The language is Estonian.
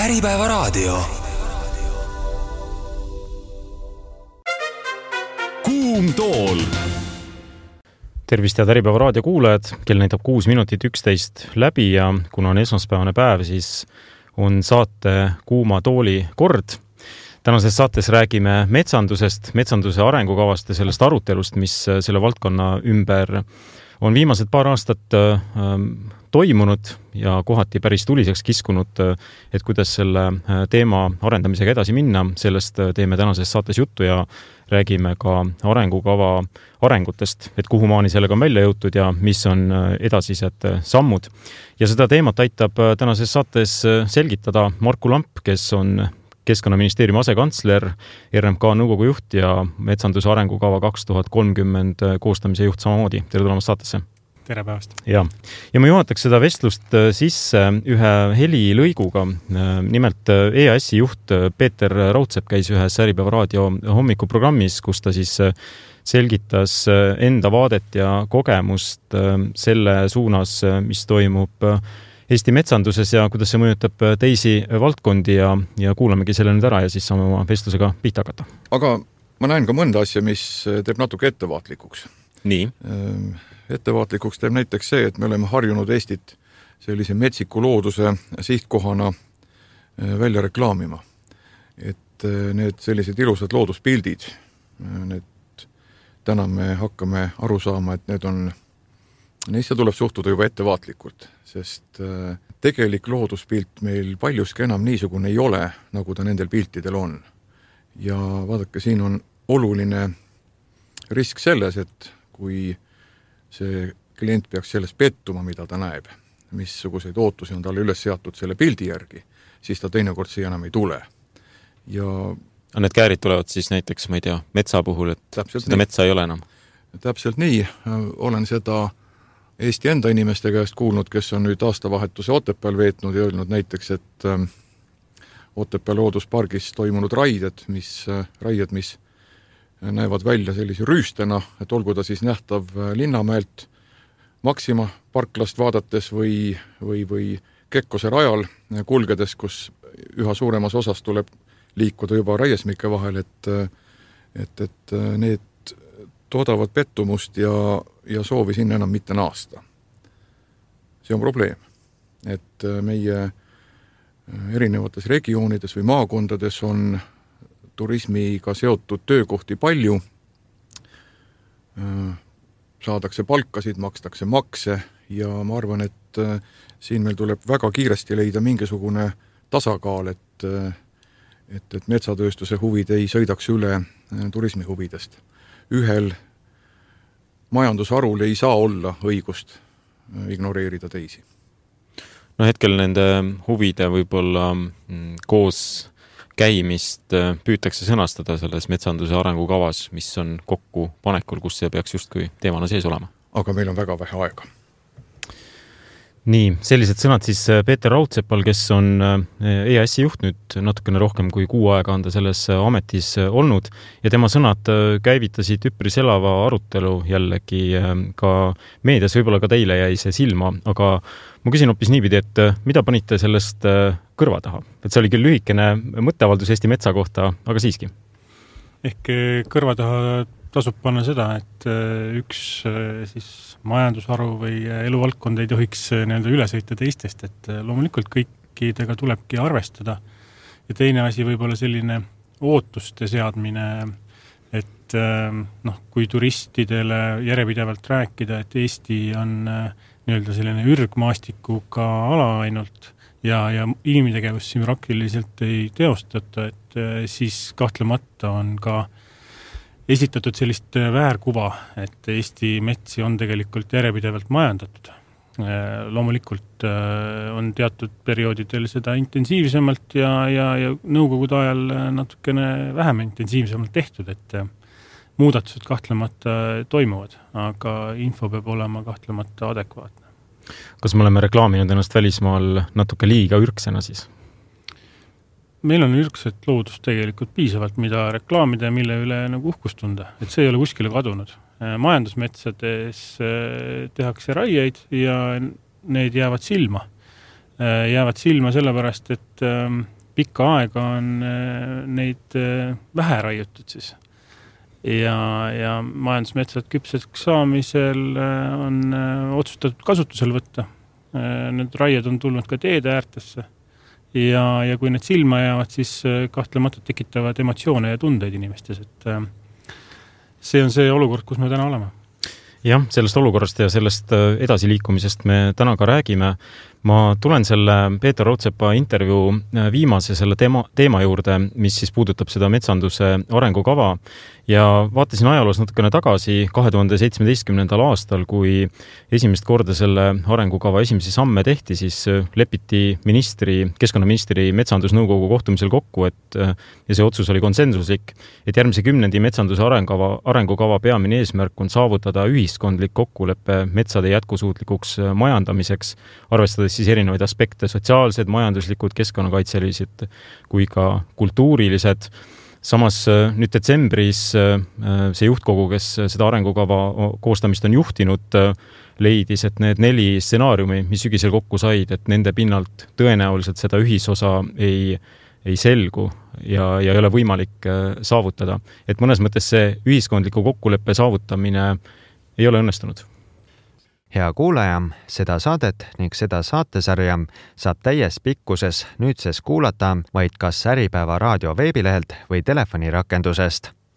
Äripäevaraadio. Kuum tool. Tervist head Äripäevaraadio kuulajad, kell näitab 6 minutit 11 läbi ja kuna on esmaspäevane päev, siis on saate Kuuma tooli kord. Tänases saates räägime metsandusest, metsanduse arengukavast ja sellest arutelust, mis selle valdkonna ümber on viimased paar aastat toimunud ja kohati päris tuliseks kiskunud, et kuidas selle teema arendamisega edasi minna. Sellest teeme tänases saates juttu ja räägime ka arengukava arengutest, et kuhu maani sellega on välja jõutud ja mis on edasised sammud. Ja seda teemat aitab tänases saates selgitada Marku Lamp, kes on Keskkonnaministeeriumi asekantsler, RMK nõukogu juht ja metsanduse arengukava 2030 koostamise juht samamoodi. Tere tulemast saatesse. Tere päevast. Ja ma juhataks seda vestlust sisse ühe helilõiguga. Nimelt EAS-i juht Peeter Raudsepp käis ühes Äripäevaraadio hommikuprogrammis, kus ta siis selgitas enda vaadet ja kogemust selle suunas, mis toimub Eesti metsanduses ja kuidas see mõjutab teisi valdkondi ja kuulamegi selle nüüd ära ja siis saame oma vestlusega pihta hakata. Aga ma näen ka mõnda asja, mis teeb natuke ettevaatlikuks. Nii. Ettevaatlikuks teeb näiteks see, et me oleme harjunud Eestit sellise metsiku looduse sihtkohana välja reklaamima. Et need sellised ilusad looduspildid, täna me hakkame aru saama, et neisse tuleb suhtuda juba ettevaatlikult, sest tegelik looduspilt meil paljuski enam niisugune ei ole, nagu ta nendel piltidel on. Ja vaadake, siin on oluline risk selles, et kui see klient peaks selles pettuma, mida ta näeb, missuguseid ootusi on talle üles seatud selle pildi järgi, siis ta teinekord siia enam ei tule. Ja need käärid tulevad siis näiteks, ma ei tea, metsa puhul, et seda metsa ei ole enam. Täpselt nii. Olen seda Eesti enda inimeste käest kuulnud, kes on nüüd aastavahetuse Otepääl veetnud ja öelnud näiteks, et Otepää looduspargis toimunud raied, mis näevad välja sellise rüüstena, et olgu ta siis nähtav Linnamäelt Maxima parklast vaadates või Kekkose rajal kulgedes, kus üha suuremas osas tuleb liikuda juba raiesmike vahel, et need toodavad pettumust ja soovi sinna enam mitte naasta. See on probleem, et meie erinevates regioonides või maakondades on turismiga seotud töökohti palju, saadakse palkasid, makstakse makse ja ma arvan, et siin meil tuleb väga kiiresti leida mingisugune tasakaal, et metsatööstuse huvid ei sõidaks üle turismi huvidest. Ühel majandusharul ei saa olla õigust ignoreerida teisi. No hetkel nende huvide võib-olla koos käimist püütakse sõnastada selles metsanduse arengukavas, mis on kokku panekul, kus see peaks justkui teemana sees olema. Aga meil on väga vähe aega. Nii, sellised sõnad siis Peeter Raudseppal, kes on EAS-i juht nüüd natukene rohkem kui 6 aega on ta selles ametis olnud ja tema sõnad käivitasid üpris elava arutelu jällegi ka meedias, võib-olla ka teile jäi see silma, aga ma küsin hoopis niipidi, et mida panite sellest kõrva taha? Et see oli küll lühikene mõtteavaldus Eesti metsa kohta, aga siiski. Ehk kõrva taha tasub panna seda, et üks siis majandusharu või eluvaldkond ei tohiks üle sõita teistest, et loomulikult kõikidega tulebki arvestada. Ja teine asi võib-olla selline ootuste seadmine, et kui turistidele järjepidevalt rääkida, et Eesti on selline ürgmaastikuga ala ainult ja inimtegevust siin praktiliselt ei teostata, et siis kahtlemata on ka esitatud sellist väärkuva, et Eesti metsi on tegelikult järjepidevalt majandatud. Loomulikult on teatud perioodidel seda intensiivsemalt ja nõukogude ajal natukene vähem intensiivsemalt tehtud, et muudatused kahtlemata toimuvad, aga info peab olema kahtlemata adekvaatne. Kas me oleme reklaaminud ennast välismaal natuke liiga ürksena siis? Meil on ürgset loodust tegelikult piisavalt, mida reklaamida ja mille üle uhkust tunda, et see ei ole kuskile kadunud. Majandusmetsades tehakse raieid ja need jäävad silma. Jäävad silma sellepärast, et pikka aega on neid vähe raiutud siis. Ja majandusmetsad küpseks saamisel on otsustatud kasutusel võtta. Need raied on tulnud ka teede äärtesse ja kui need silma jäävad, siis kahtlematult tekitavad emotsioone ja tundeid inimestes, et see on see olukord, kus me täna oleme. Jah, sellest olukorrast ja sellest edasiliikumisest me täna ka räägime. Ma tulen selle Peeter Raudsepa intervjuu viimase selle teema juurde, mis siis puudutab seda metsanduse arengukava ja vaatasin ajaloos natukene tagasi 2017. aastal, kui esimest korda selle arengukava esimesi samme tehti, siis lepiti keskkonnaministri metsandusnõukogu kohtumisel kokku, ja see otsus oli konsensuslik, et järgmise 10. metsanduse arengukava peamine eesmärk on saavutada ühiskondlik kokkulepe metsade jätkusuutlikuks majandamiseks, arvestades siis erinevaid aspekte, sotsiaalsed, majanduslikud, keskkonnakaitselised kui ka kultuurilised. Samas nüüd detsembris see juhtkogu, kes seda arengukava koostamist on juhtinud, leidis, et need 4 stsenaariumi, mis sügisel kokku said, et nende pinnalt tõenäoliselt seda ühisosa ei selgu ja ei ole võimalik saavutada. Et mõnes mõttes see ühiskondliku kokkuleppe saavutamine ei ole õnnestunud. Hea kuulaja, seda saadet ning seda saatesarja saab täies pikkuses nüüdses kuulata vaid kas Äripäeva raadio veebilehelt või telefonirakendusest.